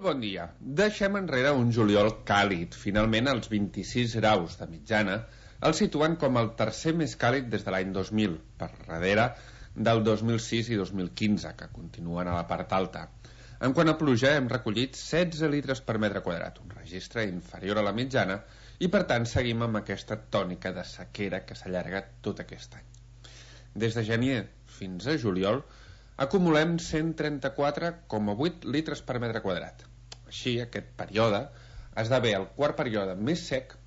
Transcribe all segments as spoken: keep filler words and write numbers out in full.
bon dia. Deixem enrere un juliol càlid. Finalment, els vint-i-sis graus de mitjana el situen com el tercer més càlid des de l'any dos mil, per darrere del dos mil sis i dos mil quinze, que continuen a la part alta. En quant a pluja, hem recollit setze litres per metre quadrat, un registre inferior a la mitjana, i per tant seguim amb aquesta tònica de sequera que s'allarga tot aquest any. Des de gener fins a juliol, acumulem cent trenta-quatre coma vuit litres per metre quadrat. Així, aquest període esdevé el quart període més sec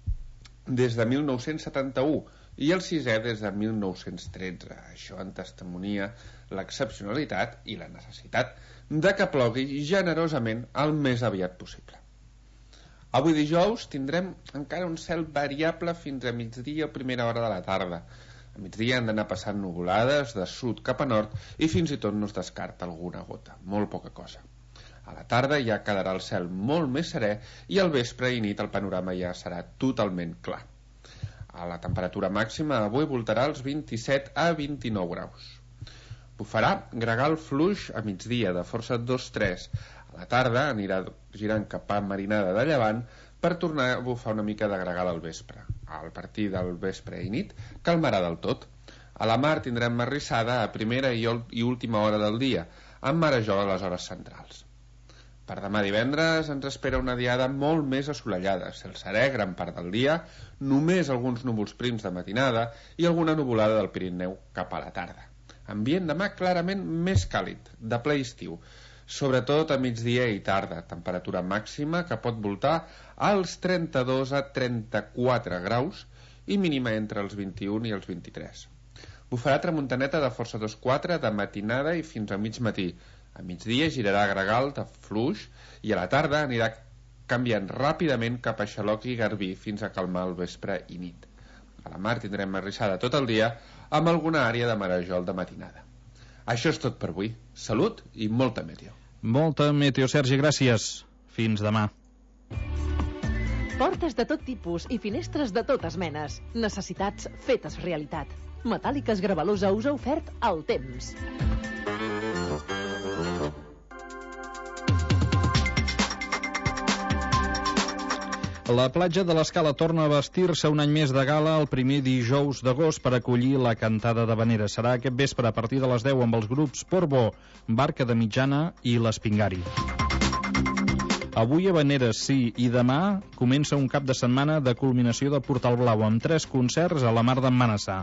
des de mil nou-cents setanta-u i el sisè des de mil nou-cents tretze. Això en testimonia l'excepcionalitat i la necessitat de que plogui generosament el més aviat possible. Avui dijous tindrem encara un cel variable fins a migdia o primera hora de la tarda. A migdia han d'anar passant nuvolades de sud cap a nord i fins i tot no es descarta alguna gota, molt poca cosa. A la tarda ja quedarà el cel molt més serè i al vespre i nit el panorama ja serà totalment clar. A la temperatura màxima avui voltarà els vint-i-set a vint-i-nou graus. Bufarà gregal fluix a migdia de força dos tres. A la tarda anirà girant cap a marinada de llevant per tornar a bufar una mica de gregal al vespre. Al partir del vespre i nit calmarà del tot. A la mar tindrem marrissada a primera i última hora del dia, amb marejol a les hores centrals. Per demà divendres ens espera una diada molt més assolellada, cel serè gran part del dia, només alguns núvols prims de matinada i alguna nuvolada del Pirineu cap a la tarda. Ambient demà clarament més càlid, de ple estiu, sobretot a migdia i tarda, temperatura màxima que pot voltar als trenta-dos a trenta-quatre graus i mínima entre els vint-i-un i els vint-i-tres. Bufarà tramuntaneta de força dos quatre de matinada i fins a mig matí. A migdia girarà gregal de fluix i a la tarda anirà canviant ràpidament cap a xaloc i garbí fins a calmar el vespre i nit. A la mar tindrem marrissada tot el dia amb alguna àrea de marejol de matinada. Això és tot per avui. Salut i molta meteo. Molta meteo, Sergi, gràcies. Fins demà. Portes de tot tipus i finestres de totes menes. Necessitats fetes realitat. Metàl·liques Gravalosa us ha ofert el temps. La platja de l'Escala torna a vestir-se un any més de gala el primer dijous d'agost per acollir la cantada d'habaneres. Serà aquest vespre a partir de les deu amb els grups Portbó, Barca de Mitjana i l'Espingari. Avui habaneres, sí, i demà comença un cap de setmana de culminació del Portal Blau amb tres concerts a la Mar d'en Manassà.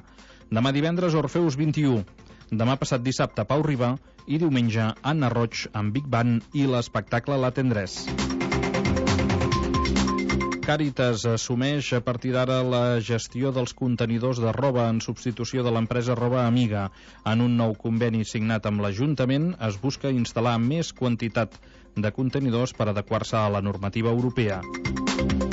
Demà divendres Orfeus vint-i-u, demà passat dissabte Pau Riba i diumenge Anna Roig amb Big Band i l'espectacle La Tendrès. Càritas assumeix a partir d'ara la gestió dels contenidors de roba en substitució de l'empresa Roba Amiga. En un nou conveni signat amb l'Ajuntament es busca instal·lar més quantitat de contenidors per adequar-se a la normativa europea.